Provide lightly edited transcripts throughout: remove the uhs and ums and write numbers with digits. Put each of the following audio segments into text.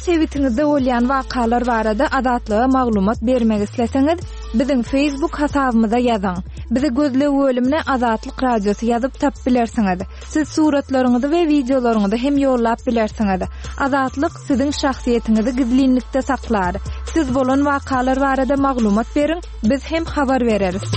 sebitiňizde bolýan wakalar barada Azatlyga maglumat bermek isleseňiz, biziň Facebook hasabymyza ýazyň. Bizi gözleg bölümine Azatlyk Radiosy ýazyp tapyp bilersiňiz. Siz suratlaryňyzy we wideolaryňyzy hem ýollap bilersiňiz. Azatlyk siziň şahsyýetiňizi gizlinlikde saklar. Siz bolan wakalar barada maglumat beriň, biz hem habar bereris.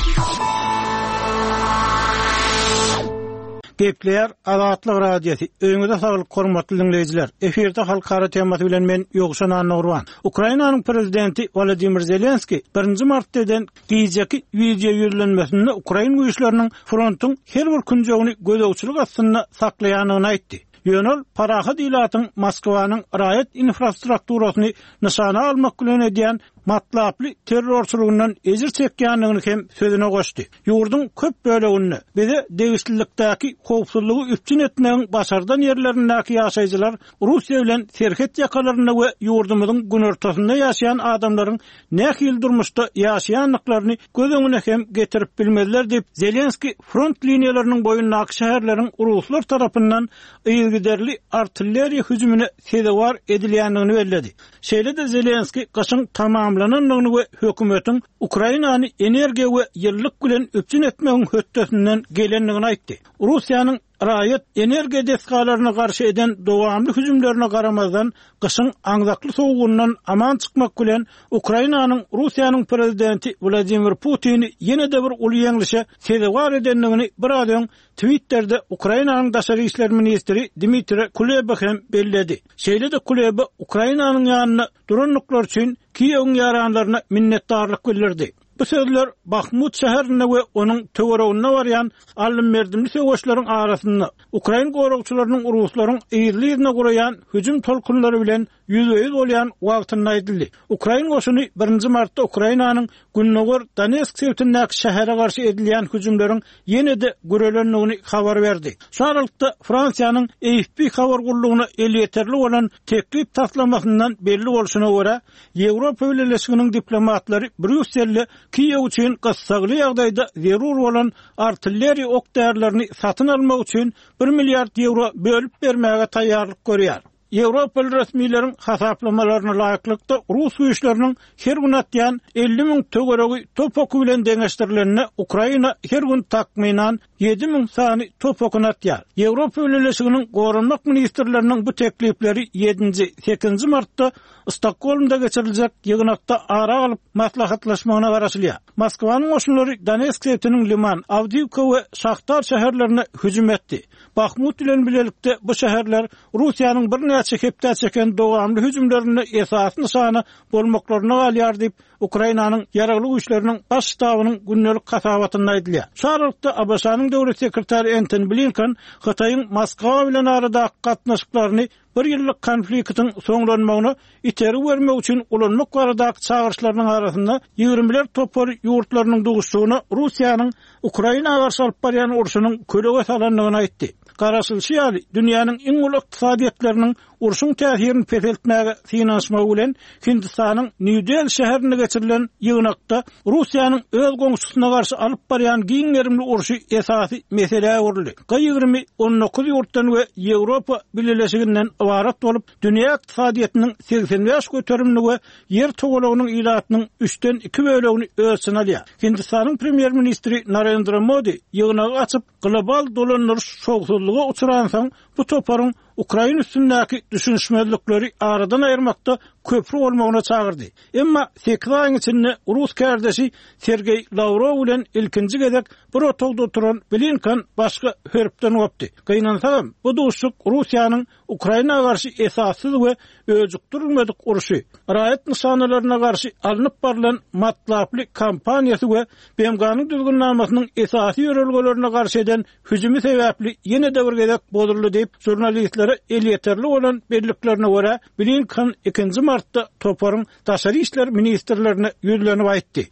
Gepleýär Azatlyk Radiosy. Öýüňize saglyk hormatly diňleýjiler. Efirde halkara temasy bilen men Ýowşan Annagurban. Ukrainanyň prezidenti Wolodymyr Zelenskiý birinji martda eden gijeki wideo ýüzlenmesinde ukrain güýçleriniň frontuň her bir künjegini gözegçilik astynda saklaýandygyny aýtdy. Ýöne ol parahat ilatyň Moskwanyň raýat infrastrukturasyny nyşana almak bilen edýän matlaply terrorçylygyndan ejir çekýändigini hem sözüne goşdy. Ýurduň köp böleginde, bize degişlilikdäki howpsuzlygy üpjün etmegiň başardan ýerlerindäki ýaşaýjylar Russiýa bilen serhet ýakalarynda we ýurdumyzyň günortasynda ýaşaýan adamlaryň nähili durmuşda ýaşaýandyklaryny göz öňüne hem getirip bilmezler diýip, Zelenskiý front liniýalarynyň boýundaky şäherleriň ruslar tarapyndan yzygiderli artilleriýa hüjümine sezewar edilýändigini belledi. Şeýle-de Zelenskiý gyşyň tamamlanandygyny we hökümetiň Ukrainany energiýa we ýylylyk bilen üpjün etmegiň hötdesinden gelendigini aýtdy. Russiýanyň raýat energiýa desgalaryna garşy eden dowamly hüjümlerine garamazdan, gyşyň aňzakly sowugyndan aman çykmak bilen, Ukrainanyň Russiýanyň prezidenti Wladimir Putini ýene-de bir uly ýeňlişe sezewar edendigini biraz öň Twitterde Ukrainanyň daşary işler ministri Dmitriý Kuleba hem belledi. Şeýle-de Kuleba Ukrainanyň ýanynda durandyklary üçin Kiýewiň ýaranlaryna minnetdarlyk bildirdi. Bu sözler Bahmut şäherinde we onuň töwereginde barýan aldym-berdimli söweşleriň arasynda, ukrain goragçylarynyň ruslaryň yzly-yzyna guraýan hüjüm tolkunlary bilen ýüzbe-ýüz bolýan wagtynda aýdyldy. Ukrain goşuny birinji martda Ukrainanyň gündogar Donetsk sebitindäki şähere garşy edilýän hüjümleriň ýene-de gürelendigini habar berdi. Şu aralykda, Fransiýanyň AFP habar gullugyna elýeterli bolan teklip taslamasyndan belli bolşuna görä, Ýewropa Bileleşiginiň diplomatlary Brýusselde Kiýew üçin gyssagly ýagdaýda zerur bolan artilleriýa ok-därilerini satyn almak üçin bir milliard ýewro bölüp bermäge taýýarlyk görýär. Ýewropaly resmileriň hasaplamalaryna laýyklykda, rus güýçleriniň her gün atýan 50 müň töweregi top oky bilen deňeşdirilende, Ukraina her gün takmynan 7000 sany top okuny atýar. Ýewropa Bileleşiginiň goranmak ministrleriniň bu teklipleri ýedinji, sekizinji martda Stokgolmda geçiriljek ýygnakda ara alyp maslahatlaşmagyna garaşylýar. Moskwanyň goşunlary Donetsk sebitiniň Liman, Awdiwka we Şahtar şäherlerine hüjüm etdi. Bahmut bilen bilelikde bu şäherler Russiýanyň birnäçe hepdä çeken dowamly hüjümlerinde esasy nyşana bolmaklaryna galýar diýip, Ukrainanyň Ýaragly Güýçleriniň Baş ştabynyň gündelik hasabatynda aýdylýar. Şu aralykda, ABŞ-nyň döwlet sekretary Entoni Blinken Hytaýyň Moskwa bilen aradaky gatnaşyklaryny bir ýyllyk konfliktiň soňlanmagyna itergi bermek üçin ulanmak baradaky çagyryşlarynyň arasynda ýigrimiler topary ýurtlarynyň duşuşygyna Russiýanyň Ukraina garşy alyp barýan urşunyň kölege salandygyny aýtdy. Garaşylyşy ýaly, dünýäniň iň uly ykdysadyýetleriniň urşuň täsirini peseltmäge synanyşmagy bilen Hindistanyň Nýu-Deli şäherinde geçirilen ýygnakda Russiýanyň öz goňşusyna garşy alyp barýan giň gerimli urşy esasy meselä öwrüldi. G 20 19 ýurtdan we Ýewropa Bileleşiginden ybarat bolup, dünýä ykdysadyýetiniň 85 göterimini we Ýer togalagynyň ilatynyň üçden iki bölegini öz içine alýar. Hindistanyň premýer-ministri Narendra Modi ýygnagy açyp, global dolandyryş şowsuzlyga uçransoň, bu toparyň ukrain üstündäki düşünişmezlikleri aradan aýyrmakda köpri bolmagyna çagyrdy. Emma sekiz aýyň içinde rus kärdeşi Sergeý Lawrow bilen ilkinji gezek bir otagda oturan Blinken başga hörpden gopdy. Gynansagam, bu duşuşyk Russiýanyň Ukraina garşy esassyz we öjükdirilmedik urşy, raýat nyşanalaryna garşy alnyp barlan matlaply kampaniýasy we BMG-niň Düzgünnamasynyň esasy ýörelgelerine garşy eden hüjümi sebäpli ýene-de bir gezek bozuldy diýip, žurnalistlere elýeterli bolan belliklerine görä, Blinken ikinji martda toparyň daşary işler ministrlerine ýüzlenip aýtdy.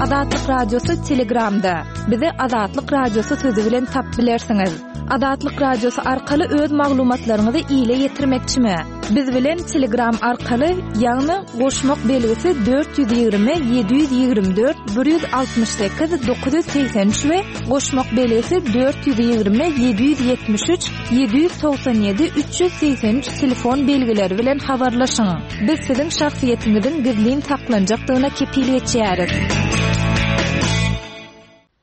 Azatlyk Radiosy Telegramda. Bizi Azatlyk Radiosy sözi bilen tapyp bilersiňiz. Azatlyk Radiosy arkaly öz maglumatlaryňyzy ile ýetirmekçimi? Biz bilen Telegram arkaly, ýagny goşmak belgisi 420 724 168 983 we goşmak belgisi 420 773 797 383 telefon belgileri bilen habarlaşyň. Biz siziň şahsyýetiňiziň gizlin saklanjakdygyna kepil geçýäris.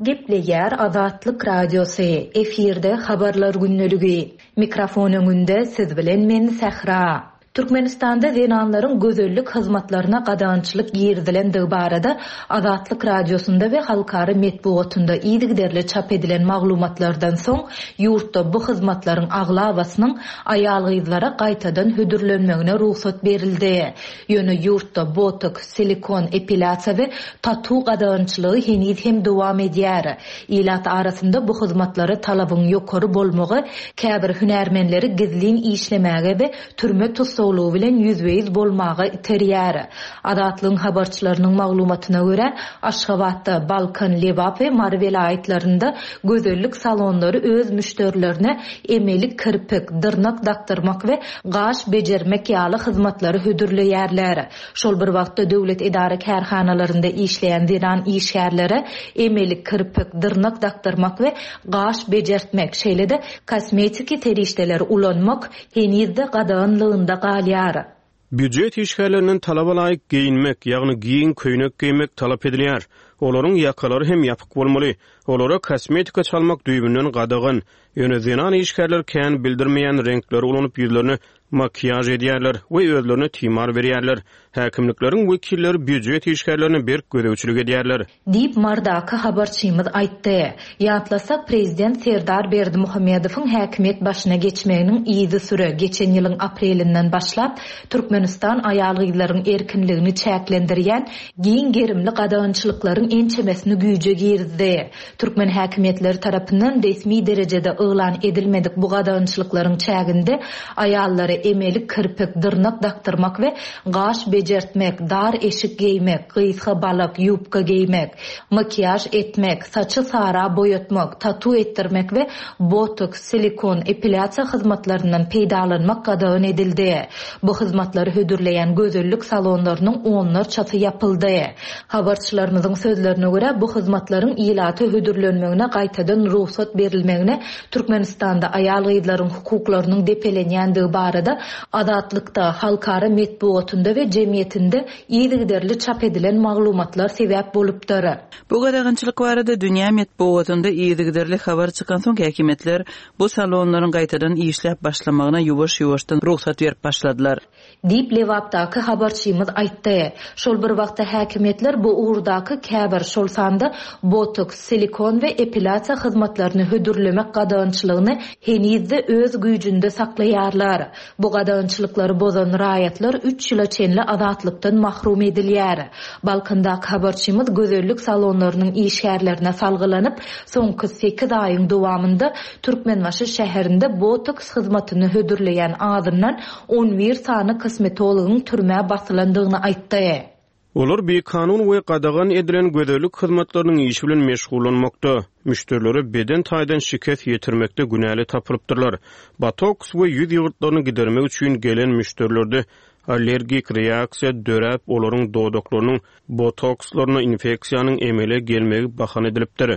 Gepleýär Azatlyk Radiosy, efirde Habarlar gündeligi. Mikrofon öňünde siz bilen men Sähra. Türkmenistanda zenanlaryň gözellik hyzmatlaryna gadagançylyk girizilendigi barada Azatlyk Radiosynda we halkara metbugatynda yzygiderli çap edilen maglumatlardan soň, ýurtda bu hyzmatlaryň aglabasynyň aýal-gyzlara gaýtadan hödürlenmegine rugsat berildi. Ýöne ýurtda botoks, silikon, epilýasiýa we tatu gadagançylygy heniz hem dowam edýär. Ilat arasynda bu hyzmatlara talabyň ýokary bolmagy käbir hünärmenleri gizlin işlemäge we türme tussaglygy bilen ýüzbe-ýüz bolmaga iterýär. Azatlygyň habarçylarynyň maglumatyna görä, Aşgabatda, Balkan, Lebap we Mary welaýatlarynda gözellik salonlary öz müşderilerine emeli kirpik, dyrnak dakdyrmak we gaş bejermek ýaly hyzmatlary hödürleýärler. Şol bir wagtda, döwlet edara-kärhanalarynda işleýän zenan işgärlere emeli kirpik, dyrnak dakdyrmak we gaş bejertmek, şeýle-de kosmetiki serişdeleri ulanmak heniz-de gadaganlygynda galýar. Býujet işgärlerinden talaba laýyk geýinmek, ýagny giň köýnek geýmek talap edilýär. Olaryň ýakalary hem ýapyk bolmaly. Olara kosmetika çalmak düýbünden gadagan. Ýöne zenan işgärler kän bildirmeýän reňkleri ulanyp ýüzlerine makiýaž edýärler we özlerine timar berýärler. Häkimlikleriň wekilleri býujet işgärlerine berk gözegçilik edýärler. Diýip, Marydaky habarçymyz aýtdy. Ýatlasak, prezident Serdar Berdimuhamedowyň häkimiýet başyna geçmeginiň yzysüre, geçen ýylyň aprelinden başlap, Türkmenistan aýal-gyzlaryň erkinligini çäklendirýän giň gerimli gadagançylyklaryň ençemesini güýje girizdi. Türkmen häkimiýetleri tarapyndan resmi derejede yglan edilmedik bu gadagançylyklaryň çäginde aýallara emeli kirpik, dyrnak dakdyrmak we gaş bejertmek, dar eşik geýmek, gysga balak, ýubka geýmek, makiýaž etmek, saçy sara boýatmak, tatu etdirmek we botoks, silikon, epilýasiýa hyzmatlaryndan peýdalanmak gadagan edildi. Bu hyzmatlary hödürleýän gözellik salonlarynyň onlarçasy ýapyldy. Habarçylarymyzyň sözlerine görä, bu hyzmatlaryň ilata hödürlenmegine gaýtadan rugsat berilmegine Türkmenistanda aýal-gyzlaryň hukuklarynyň depelenýändigi barada Azatlykda, halkara metbugatynda we jemgyýetinde yzygiderli çap edilen maglumatlar sebäp bolupdyr. Bu gadagançylyk barada dünýä metbugatynda yzygiderli habar çykansoň häkimiýetler bu salonlaryň gaýtadan işläp başlamagyna ýuwaş-ýuwaşdan rugsat berip başladylar. Diýip, Lebapdaky habarçymyz aýtdy. Şol bir wagtda häkimiýetler bu ugurdaky käbir, şol sanda botoks, silikon we epilýasiýa hyzmatlaryny hödürlemek gadagançylygyny heniz-de öz güýjünde saklaýarlar. Bu gadagançylyklary bozan raýatlar üç ýyla çenli azatlykdan mahrum edilýär. Balkandaky habarçymyz gözellik salonlarynyň işgärlerine salgylanyp, soňky sekiz aýyň dowamynda Türkmenbaşy şäherinde botoks hyzmatyny hödürleýän azyndan 11 sany kosmetologyň türmä basylandygyny aýtdy. Olar bikanun we gadagan edilen gözellik hyzmatlarynyň işi bilen meşgullanmakda, müşderilere beden taýdan şikes ýetirmekde günäli tapylypdyrlar. Botoks we ýüz ýygyrtlaryny gidermek üçin gelen müşderilerde allergik reaksiýa döräp, olaryň dodaklarynyň botokslaryna infeksiýanyň emele gelmegi bahana edilipdir.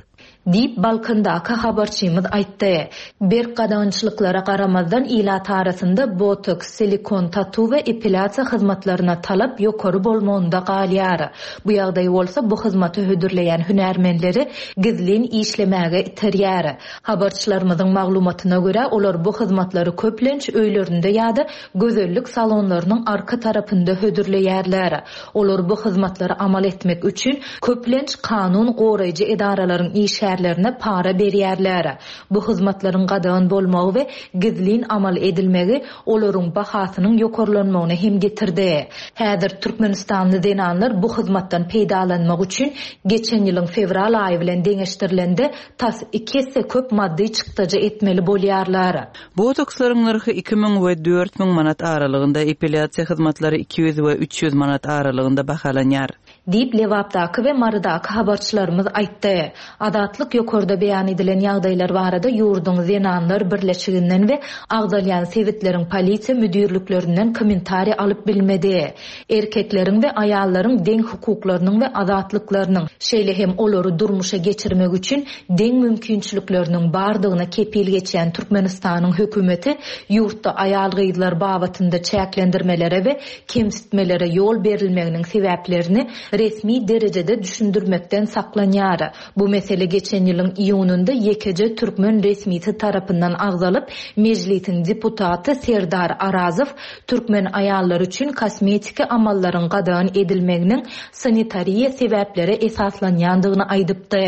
Diýip, Balkandaky habarçymyz aýtdy. Berk gadagançylyklara garamazdan, ilat arasynda botoks, silikon, tatu we epilýasiýa hyzmatlaryna talap ýokary bolmagynda galýar. Bu ýagdaý bolsa bu hyzmaty hödürleýän hünärmenleri gizlin işlemäge iterýär. Habarçylarymyzyň maglumatyna görä, olar bu hyzmatlary köplenç öýlerinde ýa-da gözellik salonlarynyň arka tarapynda hödürleýärler. Olar bu hyzmatlary amal etmek üçin, köplenç, kanun goraýjy edaralaryň işgärlerine para berýärler. Bu hyzmatlaryň gadagan bolmagy we gizlin amal edilmegi olaryň bahasynyň ýokarlanmagyna hem getirdi. Häzir türkmenistanly zenanlar bu hyzmatdan peýdalanmak üçin geçen ýylyň fewral aýy bilen deňeşdirilende tas iki esse köp maddy çykdajy etmeli bolýarlar. Botokslaryň nyrhy 2000 we 4000 manat aralygynda, epilýasiýa hyzmatlary 200 we 300 manat aralygynda bahalanýar. Diýip, Lebapdaky we Marydaky habarçylarymyz aýtdy. Azatlyk ýokarda beýan edilen ýagdaýlar barada ýurduň Zenanlar birleşiginden we agzalýan sebitleriň polisiýa müdirliklerinden kommentariý alyp bilmedi. Erkekleriň we aýallaryň deň hukuklarynyň we azatlyklarynyň, şeýle hem olary durmuşa geçirmek üçin deň mümkinçilikleriniň bardygyna kepil geçýän Türkmenistanyň hökümeti ýurtda aýal-gyzlar babatynda çäklendirmelere we kemsitmelere ýol berilmeginiň sebäplerini resmi derejede düşündirmekden saklanýar. Bu mesele geçen ýylyň iýunynda ýekeje türkmen resmisi tarapyndan agzalyp, Mejlisiň deputaty Serdar Arazow türkmen aýallary üçin kosmetiki amallaryň gadagan edilmeginiň sanitariýa sebäplere esaslanýandygyny aýdypdy.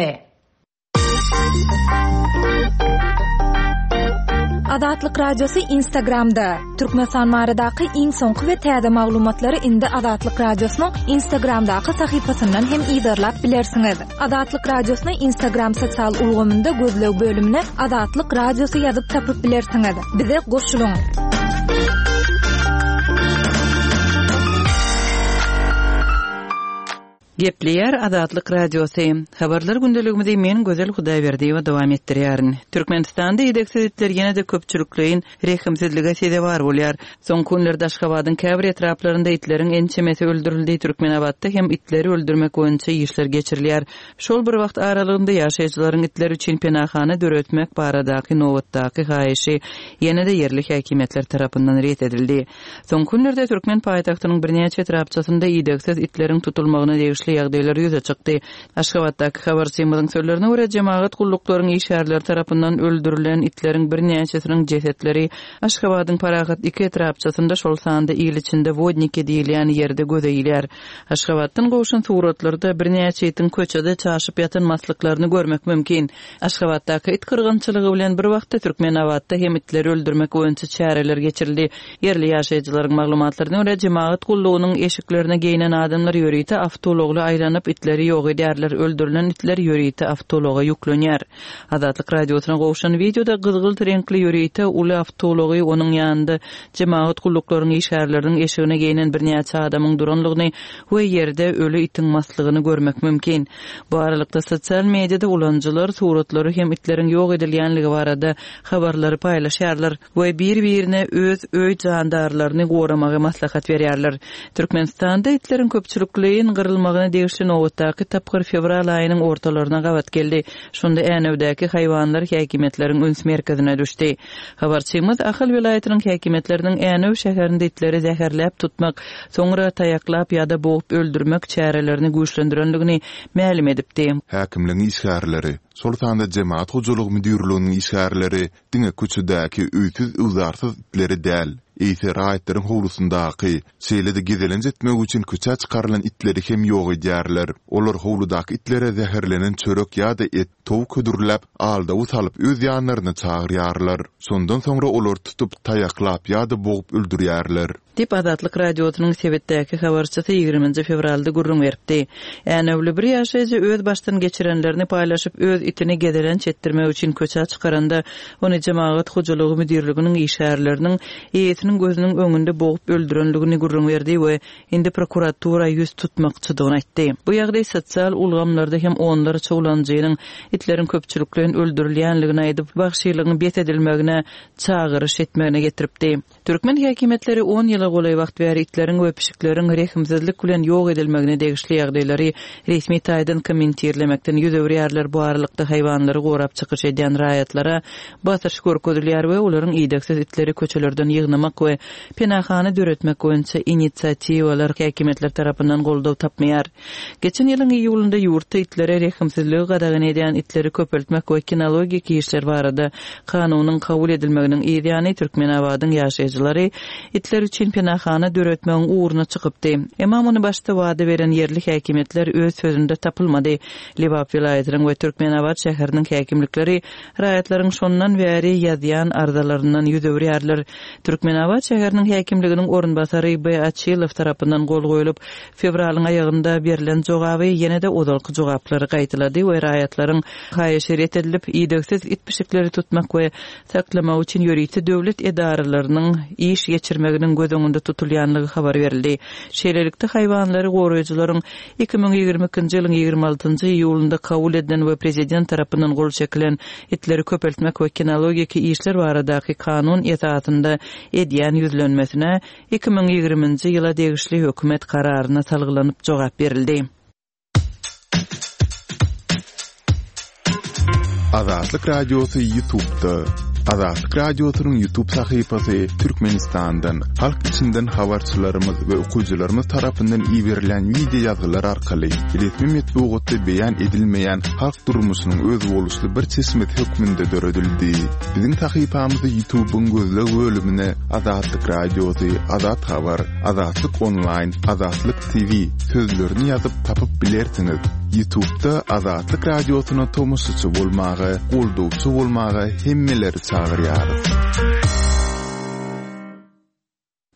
Azatlyk Radiosy Instagramda, Türkmenistan baradaky iň soňky we täze maglumatlary indi Azatlyk Radiosynyň Instagramdaky sahypasyndan hem yzarlap bilersiňiz. Azatlyk Radiosyny Instagram sosial ulgamynda gözleg bölümine Azatlyk Radiosy ýazyp tapyp bilersiňiz. Bize goşulyň! Gepleýär Azatlyk Radiosy. Habarlar gündeligimizi men Gözel Hudaýberdiýewa dowam etdirýärin. Türkmenistanda idegsiz itler ýene-de köpçülikleýin rehimsizlige sezewar bolýar. Soňky günlerde Aşgabadyň käbir etraplarynda itleriň ençemesi öldürildi, Türkmenabatda hem itleri öldürmek boýunça işler geçirilýär. Şol bir wagt aralygynda ýaşaýjylaryň itler üçin penahana döretmek baradaky nobatdaky haýyşy ýene-de ýerli häkimiýetler tarapyndan ret edildi. Soňky günlerde türkmen paýtagtynyň birnäçe etrapçasynda idegsiz itleriň tutulmagyna degişli ýagdaýlar ýüze çykdy. Aşgabatdaky habarçymyzyň sözlerine görä, jemagat gulluklaryň işgärleri tarapyndan öldürilen itleriň birnäçesiniň jesetleri Aşgabadyň Parahat iki etrapçasynda, şol sanda il içinde Wodniki diýilýän ýerde göze ilýär. Aşgabatdan gowşan suratlarda birnäçe itiň köçede çaşyp ýatan maslyklaryny görmek mümkin. Aşgabatdaky it gyrgynçylygy bilen bir wagtda Türkmenabatda hem itleri öldürmek boýunça çäreler geçirildi. Ýerli ýaşaýjylaryň maglumatlaryna görä, jemagat gullugynyň eşiklerine geýnen adamlar ýörite awtoulagly aýlanyp, itleri ýok edýärler, öldürilen itler ýörite awtoulaga ýüklenýär. Azatlyk Radiosyna gowşan wideoda gyzgylt reňkli ýörite uly awtoulagy, onuň ýanynda jemagat gulluklaryň işgärleriniň eşigine geýnen birnäçe adamyň duranlygyny we ýerde öli itiň maslygyny görmek mümkin. Bu aralykda, sosial mediada ulanyjylar suratlary hem itleriň ýok edilýänligi barada habarlary paýlaşýarlar we bir-birine öz öý jandarlaryny goramagy maslahat berýärler. Türkmenistanda itleriň köpçülikleýin gyrylmagyna degişli nobatdaky tapgyr fewral aýynyň ortalaryna gabat geldi. Şonda Änewdäki haýwanlar häkimiýetleriň üns merkezine düşdi. Habarçymyz Ahal welaýatynyň häkimiýetleriniň Änew şäherinde itleri zäherläp tutmak, soňra taýaklap ýa-da bogup öldürmek çärelerini güýçlendirendigini mälim edipdi. Häkimligiň işgärleri, şol sanda Jemagat hojalygy müdirliginiň işgärleri diňe köçedäki öýsüz-öwzarsyz itleri däl, eýse raýatlaryň howlusyndaky, şeýle-de gezelenç etmek üçin köçä çykarylan itleri hem ýok edýärler. Olar howludaky itlere zäherlenen çörek ýa-da et, towuk hödürläp, aldawy salyp öz ýanlaryna çagyrýarlar. Şondan soňra olary tutup, taýaklap ýa-da bogup öldürýärler. Diýip, Azatlyk Radiosynyň sebitdäki habarçysy ýigriminji fewralda gürrüň beripdi. Änewli bir ýaşaýjy öz başdan geçirenlerini paýlaşyp, öz itini gezelenç etdirmek üçin köçä çykaranda, ony jemagat hojalygy müdirliginiň işgärleriniň eýesiniň gözüniň öňünde bogup öldürenligini gürrüň berdi we indi prokuratura ýüz tutmakçydygyny aýtdy. Bu ýagdaý sosial ulgamlarda hem onlarça ulanyjynyň itleriň köpçülikleýin öldürilýänligini aýdyp, wagşylygyň bes edilmegine çagyryş etmegine getiripdi. Türkmen häkimiýetleri on ýyla golaý wagt bäri itleriň we pişikleriň rehimsizlik bilen ýok edilmegine degişli ýagdaýlary resmi taýdan kommentirlemekden ýüz öwürýärler, bu aralykda haýwanlary gorap çykyş edýän raýatlara basyş görkezilýär we olaryň idegsiz itleri köçelerden ýygnamak we Penahana döretmek boýunça inisiatiwalar häkimiýetler tarapyndan goldaw tapmaýar. Geçen ýylyň iýulynda ýurtda itlere rehimsizligi gadagan edýän itleri köpeltmek we kinologik işler barada kanunyň kabul edilmeginiň yz ýany Türkmenabadyň ýaşaýjylary itler üçin penahana döretmegiň ugruna çykypdy. Emma muny başda wada beren ýerli häkimiýetler öz sözünde tapylmady. Lebap welaýatynyň we Türkmenabat şäheriniň häkimlikleri raýatlaryň şondan bäri ýazýan arzalaryndan ýüz öwürýärler. Türkmenabat şäheriniň häkimliginiň orunbasary B. Açylow tarapyndan gol goýlup, fewralyň aýagynda berlen jogaby ýene-de ozalky jogaplary gaýtalady we raýatlaryň haýyşy ret edilip, idegsiz it-pişikleri tutmak we saklamak üçin ýörite döwlet edaralarynyň iş geçirmeginiň göz. öňünde tutulýanlygy habar berildi. Şeýlelikde, haýwanlary goraýjylaryň 2022-nji ýylyň 26-njy iýulynda kabul edilen we prezident tarapyndan gol çekilen Itleri köpeltmek we kinologiki işler baradaky kanun esasynda edýän ýüzlenmesine 2020-nji ýyla degişli hökümet kararyna salgylanyp jogap berildi. Azatlyk Radiosy Ýutubda. Azatlyk Radiosynyň Ýutub sahypasy Türkmenistandan, halk içinden habarçylarymyz we okyjylarymyz tarapyndan iberilen wideo ýazgylar arkaly resmi metbugatda beýan edilmeýän halk durmuşynyň özboluşly bir çeşmesi hökmünde döredildi. Biziň sahypamyzy Ýutubyň gözleg bölümine Azatlyk Radiosy, Azat Habar, Azatlyk Onlaýn, Azatlyk TV sözlerini ýazyp tapyp bilersiňiz. Ýutubda Azatlyk Radiosyna tomaşaçy bolmaga, goldawçy bolmaga hemmeleri çagyrýarys.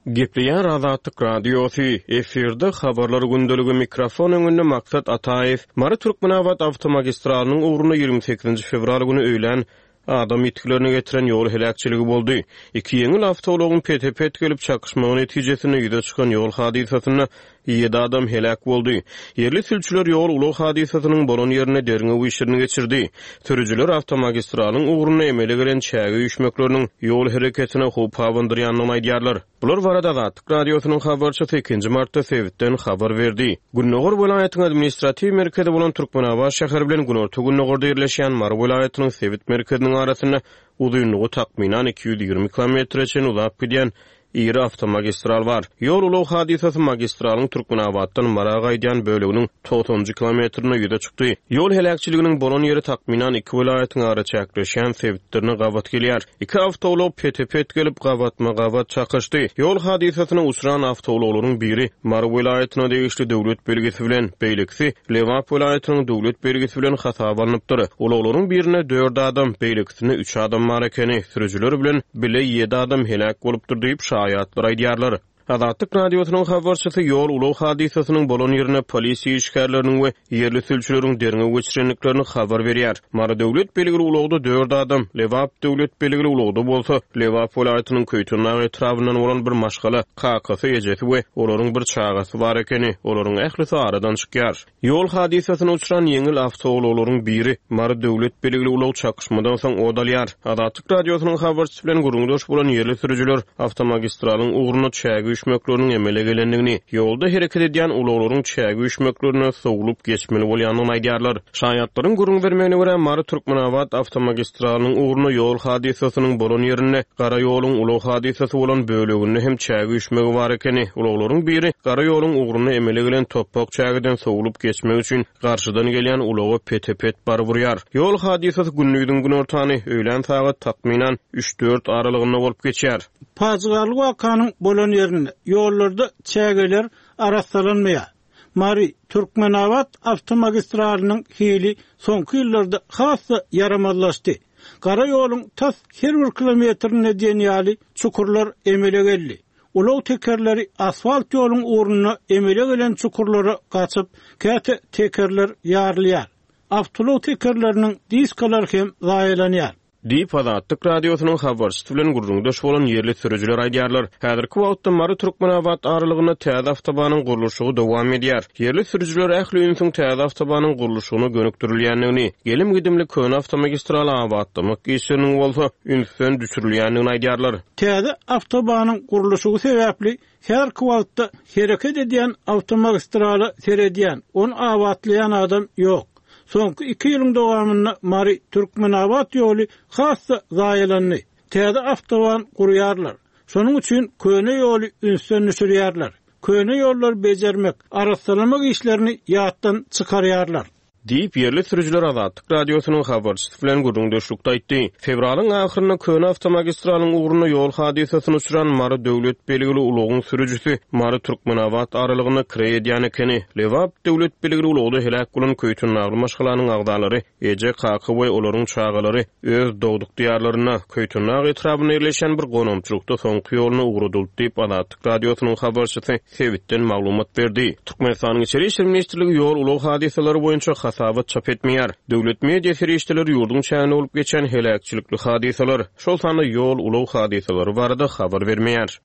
Gepleýär Azatlyk Radiosy, efirde Habarlar gündeligi, mikrofon öňünde Maksat Ataýew. Mary-Türkmenabat awtomagistralynyň ugrunda 28-nji fewral güni öýlän adam ýitgilerine getiren ýol heläkçiligi boldy. Iki ýeňil awtoulagyň pete-pet gelip çakyşmagy netijesinde ýüze çykan ýol hadysasynda ýedi adam heläk boldy. Ýerli sülçüler ýol-ulag hadysasynyň bolan ýerinde derňew işlerini geçirdi. Sürüjiler awtomagistralyň ugrunda emele gelen çäge üýşmekleriniň ýol hereketine howp abandyrýandygyny aýdýarlar. Bular barada Azatlyk Radiosynyň habarçysy ikinji martda sebitden habar berdi. Gündogar welaýatyň administratiw merkezi bolan Türkmenabat şäheri bilen günorta-gündogarda ýerleşýän Mary welaýatynyň sebit merkeziniň arasynda uzynlygy takmynan 220 kilometre çenli uzap gidýän iri awtomagistral bar. Ýol-ulag hadysasy magistralyň Türkmenabatdan Mara gaýdýan böleginiň togsanynjy kilometrinde ýüze çykdy. Ýol heläkçiliginiň bolan ýeri takmynan iki welaýatyň araçäkleşýän sebitlerine gabat gelýär. Iki awtoulag pete-pet gelip, gabatma-gabat çakyşdy. Ýol hadysasyna uçran awtoulaglaryň biri Mary welaýatyna degişli döwlet belgisi bilen, beýlekisi Lebap welaýatynyň döwlet belgisi bilen hasaba alnypdyr. Ulaglaryň birinde dört adam, beýlekisinde üç adam bar ekeni. Sürüjiler bilen bile ýedi adam heläk bolupdyr diýip, şaýatlar aýdýarlar. Azatlyk Radiosynyň habarçysy ýol-ulag hadysasynyň bolan ýerinde polisiýa işgärleriniň we ýerli sülçüleriň derňew geçirendiklerini habar berýär. Mary döwlet belgili ulagda dört adam, Lebap döwlet belgili ulagda bolsa, Lebap welaýatynyň Köýtendag etrabyndan bolan bir maşgala, kakasy, ejesi we olaryň bir çagasy bar ekeni. Olaryň ählisi aradan çykýar. Ýol hadysasyna uçran ýeňil awtoulaglaryň biri Mary döwlet belgili ulag çakyşmadan soň ot alýar. Azatlyk Radiosynyň habarçysy bilen gürrüňdeş bolan ýerli sürüjiler awtomagistralyň ugrunda çäge üýşmekleriniň emele gelendigini, ýolda hereket edýän ulaglaryň çäge üýşmeklerine sowlup geçmeli bolýandygyny aýdýarlar. Şaýatlaryň gürrüň bermegine görä, Mary-Türkmenabat awtomagistralynyň ugrunda ýol hadysasynyň bolan ýerinde gara ýoluň ulag hadysasy bolan böleginde hem çäge üýşmegi bar ekeni. Ulaglaryň biri gara ýoluň ugrunda emele gelen topbak çägeden sowlup geçmek üçin garşydan gelýän ulaga pete-pet baryp urýar. Ýol hadysasy gündiziň günortany, öýlän sagat takmynan üç-dört aralygynda bolup geçýär. Pajygaly wakanyň bolan ýerinde ýollarda çägeler arassalanmaýar. Mary, Türkmenabat awtomagistralynyň hili soňky ýyllarda has-da ýaramazlaşdy. Gara ýoluň tas her bir kilometrinde diýen ýaly çukurlar emele geldi. Ulag tekerleri asfalt ýoluň ugrunda emele gelen çukurlara gaçyp, käte tekerler ýarylýar. Awtoulag tekerleriniň diskalary hem zaýalanýar. Diýip, Azatlyk Radiosynyň habarçysy bilen gürrüňdeş bolan ýerli sürüjiler aýdýarlar. Häzirki wagtda Mary-Türkmenabat aralygynda täze awtobanyň gurluşygy dowam edýär. Ýerli sürüjiler ähli ünsüň täze awtobanyň gurluşygyna gönükdirilýändigini, gelim-gidimli köne awtomagistraly abatlamak işleriniň bolsa ünsden düşürilýändigini aýdýarlar. Täze awtobanyň gurluşygy sebäpli häzirki wagtda hereket edýän awtomagistrala seredýän, ony abatlaýan adam ýok. Soňky iki ýylyň dowamynda Mary, Türkmenabat ýoly has-da zaýalandy. Täze awtoban gurýarlar. Şonuň üçin köne ýoly ünsden düşürýärler. Köne ýollary bejermek, arassalamak işlerini ýatdan çykarýarlar. Diýip, ýerli sürüjiler Azatlyk Radiosynyň habarçysy bilen gürrüňdeşlikde aýtdy. Fewralyň ahyrynda köne awtomagistralyň ugrunda ýol hadysasyna uçran Mary döwlet belgili ulagyň sürüjisi Mary-Türkmenabat aralygynda kireý edýän ekeni. Lebap döwlet belgili ulagda heläk bolan köýtendagly maşgalanyň agzalary, eje, kaka we olaryň çagalary öz dogduk diýarlarynda, Köýtendag etrabynda ýerleşýän bir gonamçylykda soňky ýoluna ugradyldy diýip, Azatlyk Radiosynyň habarçysy sebitden maglumat berdi. Türkmenistanyň Içeri işler ministrligi ýol-ulag hadysalary boýunça hasabat çap etmeýär. Döwlet media serişdeleri ýurduň çäginde bolup geçen heläkçilikli hadysalar, şol sanda ýol-ulag hadysalary barada habar bermeýär.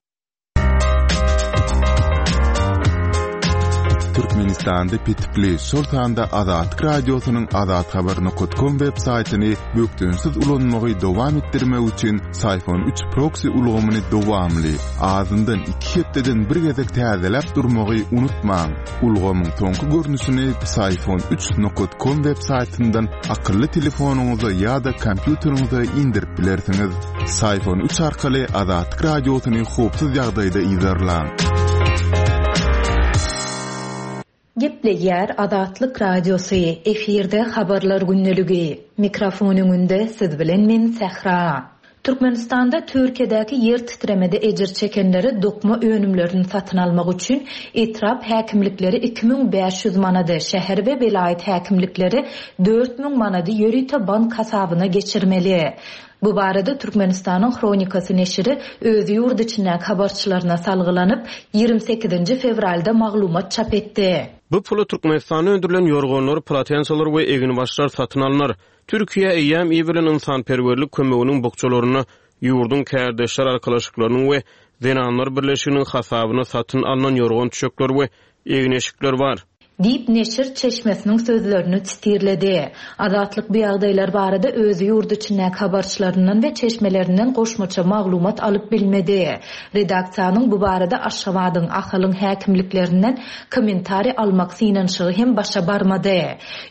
Türkmenistanda petikli, şol sanda Azatlyk Radiosynyň azathabar nokat kom web saýtyny bökdençsiz ulanmagy dowam etdirmek üçin Syfon üç proksi ulgamyny dowamly, azyndan iki hepdeden bir gezek täzeläp durmagy unutmaň. Ulgamyň soňky görnüşini Psiphon üç nokat kom web saýtyndan akylly telefonyňyza ýa-da kompýuteriňize indirip bilersiňiz. Psiphon üç arkaly Azatlyk Radiosyny howpsuz ýagdaýda yzarlaň. Gepleýär Azatlyk Radiosy, efirde Habarlar gündeligi. Mikrofon öňünde siz bilen men Sähra. Türkmenistanda Türkiýedäki ýer titremede ejir çekenlere dokma önümlerini satyn almak üçin etrap häkimlikleri 2500 manady, şäher we welaýat häkimlikleri 4000 manady ýörite bank hasabyna geçirmeli. Bu barada Türkmenistanyň Hronikasy neşiri öz ýurt içindäki habarçylaryna salgylanyp, ýigrimi sekizinji fewralda maglumat çap etdi. Bu pula Türkmenistanda öndürilen ýorganlar, polotensalar we eginbaşlar satyn alnar. Türkiýä eýýäm iberilen ynsanperwerlik kömeginiň bukjalarynda ýurduň kärdeşler arkalaşyklarynyň we Zenanlar birleşiginiň hasabyna satyn alnan ýorgan-düşekler we egin-eşikler bar. Diýip, neşir çeşmesiniň sözlerini sitirledi. Azatlyk bu ýagdaýlar barada öz ýurt içindäki habarçylaryndan we çeşmelerinden goşmaça maglumat alyp bilmedi. Redaksiýanyň bu barada Aşgabadyň, Ahalyň häkimliklerinden kommentariý almak synanyşygy hem başa barmady.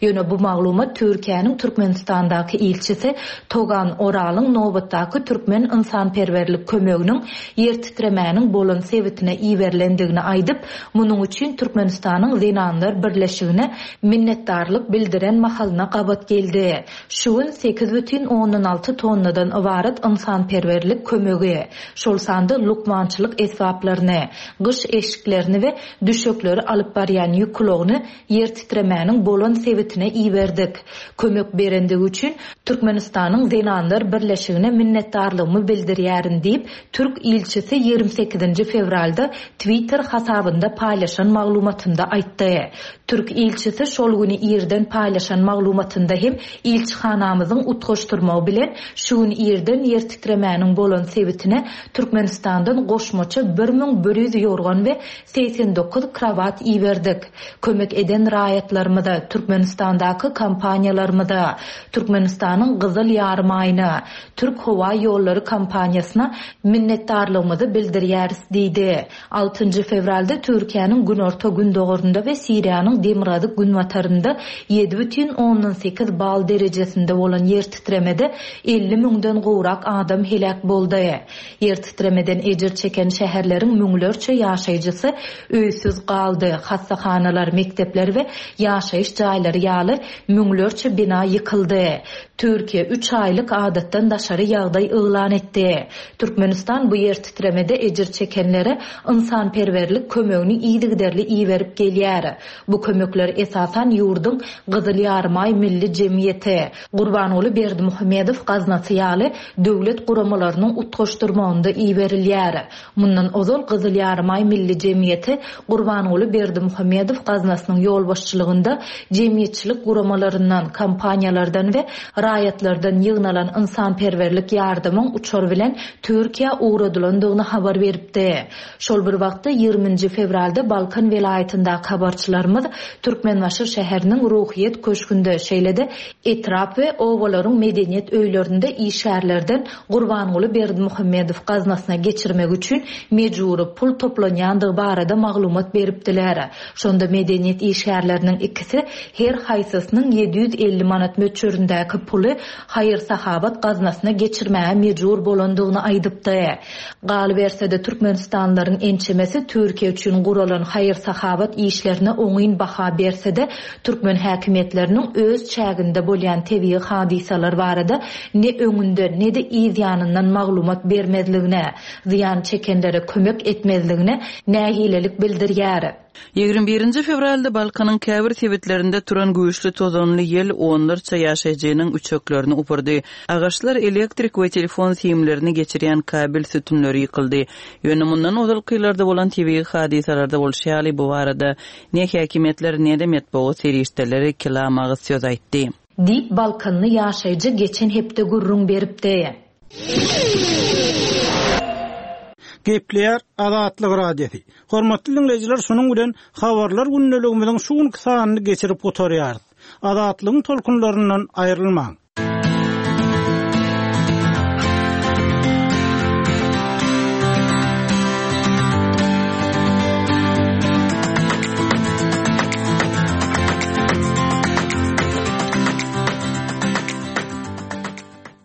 Ýöne bu maglumat Türkiýäniň Türkmenistandaky ilçisi Togan Oralyň nobatdaky türkmen ynsanperwerlik kömeginiň ýer titremäniň bolan sebitine iberilendigini aýdyp, munuň üçin Türkmenistanyň Zenanlar birleşigine minnetdarlyk bildiren mahalyna gabat geldi. Şu gün 8,6 tonnadan ybarat ynsanperwerlik kömegi, şol sanda lukmançylyk esbaplaryny, gyş eşiklerini we düşekleri alyp barýan ýük ulagyny ýer titremäniň bolan sebitine iberdik. Kömek berendigi üçin Türkmenistanyň Zenanlar birleşigine minnetdarlygymy bildirýärin diýip, türk ilçisi ýigrimi sekizinji fewralda Twitter hasabynda paýlaşan maglumatynda aýtdy. Türk ilçisi şol güni irden paýlaşan maglumatynda hem ilçihanamyzyň utgaşdyrmagy bilen şu gün irden ýer titremäniň bolan sebitine Türkmenistandan goşmaça 1100 ýorgan we 89 krowat iberdik. Kömek eden raýatlarymyza, Türkmenistandaky kompaniýalarymyza, Türkmenistanyň Gyzyl Ýarymaýyna, Türk howa ýollary kompaniýasyna minnetdarlygymyzy bildirýäris diýdi. Altynjy fewralda Türkiýäniň günorta-gündogarynda we Siriýanyň demirgazyk-günbatarynda 7,8 bal derejesinde bolan ýer titremede 50 müňden gowrak adam heläk boldy. Ýer titremeden ejir çeken şäherleriň müňlerçe ýaşaýjysy öýsüz galdy, hassahanalar, mekdepler we ýaşaýyş jaýlary ýaly müňlerçe bina ýykyldy. Türkiýe üç aýlyk adatdan daşary ýagdaý yglan etdi. Türkmenistan bu ýer titremede ejir çekenlere ynsanperwerlik kömegini yzygiderli iberip gelýär. Bu kömekler esasan ýurduň Gyzyl Ýarymaý Milli jemgyýeti, Gurbanguly Berdimuhamedow gaznasy ýaly döwlet guramalarynyň utgaşdyrmagynda iberilýär. Mundan ozal Gyzyl Ýarymaý Milli jemgyýeti Gurbanguly Berdimuhamedow gaznasynyň ýolbaşçylygynda jemgyýetçilik guramalaryndan, kompaniýalardan we raýatlardan ýygnalan ynsanperwerlik ýardamyň uçar bilen Türkiýä ugradylandygyny habar beripdi. Şol bir wagtda, ýigrimi nji fewralda Balkan welaýatyndaky habarçylarymyz Türkmenbaşy şäheriniň Ruhyýet köşgünde, şeýle-de etrap we obalaryň medeniýet öýlerinde işgärlerden Gurbanguly Berdimuhamedow gaznasyna geçirmek üçin mejbury pul toplanýandygy barada maglumat beripdiler. Şonda medeniýet işgärleriniň ikisi her haýsysynyň 750 manat möçberindäki puly haýyr-sahawat gaznasyna geçirmäge mejbur bolandygyny aýdypdy. Galyberse-de, türkmenistanlylaryň ençemesi Türkiýe üçin guralan haýyr-sahawat işlerine oňyn baha berse-de, türkmen häkimiýetleriniň öz çäginde bolýan tebigy hadysalar barada ne öňünden, ne-de yz ýanyndan maglumat bermezligine, zyýan çekenlere kömek etmezligine nägilelik bildirýär. Ýigrimi birinji fewralda Balkanyň käbir sebitlerinde turan güýçli tozanly ýel onlarça ýaşaýjynyň üçeklerini upurdy. Agaçlar, elektrik we telefon simlerini geçirýän kabel sütünleri ýykyldy. Ýöne mundan ozalky ýyllarda bolan tebigy hadysalarda bolşy ýaly, bu barada ne häkimiýetler, ne-de metbugat serişdeleri kelam agyz söz aýtdy. Diýip, balkanly ýaşaýjy geçen hepde gürrüň beripdi. Gepleýär Azatlyk Radiosy. Hormatly diňleýjiler, şunuň bilen Habarlar gündeligimiziň şu günki sanyny geçirip gutarýarys. Azatlygyň tolkunlaryndan aýrylmaň.